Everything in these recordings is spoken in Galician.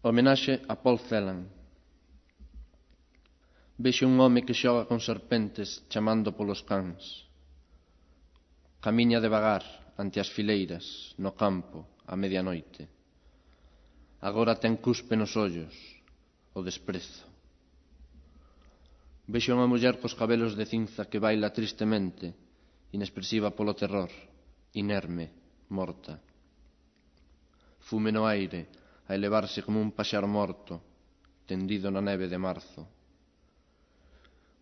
Homenaxe a Paul Celan. Vexo un home que xoga con serpentes chamando polos cans. Camiña devagar ante as fileiras, no campo, a medianoite. Agora ten cuspe nos ollos, o desprezo. Vexo unha muller cos cabelos de cinza que baila tristemente, inexpresiva polo terror, inerme, morta. Fume no aire, a elevarse como un paxaro morto, tendido na neve de marzo.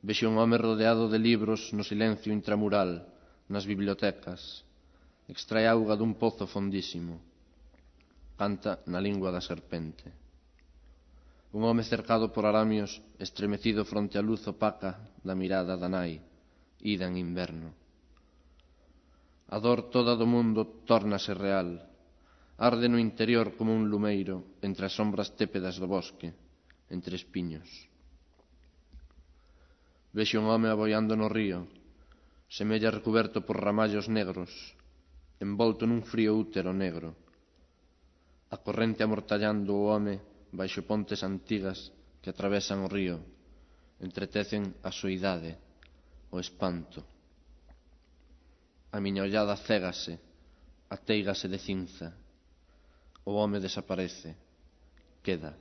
Vexo un home rodeado de libros no silencio intramural, nas bibliotecas. Extrae auga dun pozo fondísimo. Canta na lingua da serpente. Un home cercado por aramios, estremecido fronte á luz opaca da mirada da nai, ida en inverno. A dor toda do mundo tórnase real. Arde no interior como un lumeiro entre as sombras tépedas do bosque, entre espiños. Vexo un home aboiando no río, semella recuberto por ramallos negros, envolto nun frío útero negro. A corrente amortallando o home baixo pontes antigas que atravesan o río, entretecen a soidade, o espanto. A miña ollada cégase, ateigase de cinza. O home desaparece, queda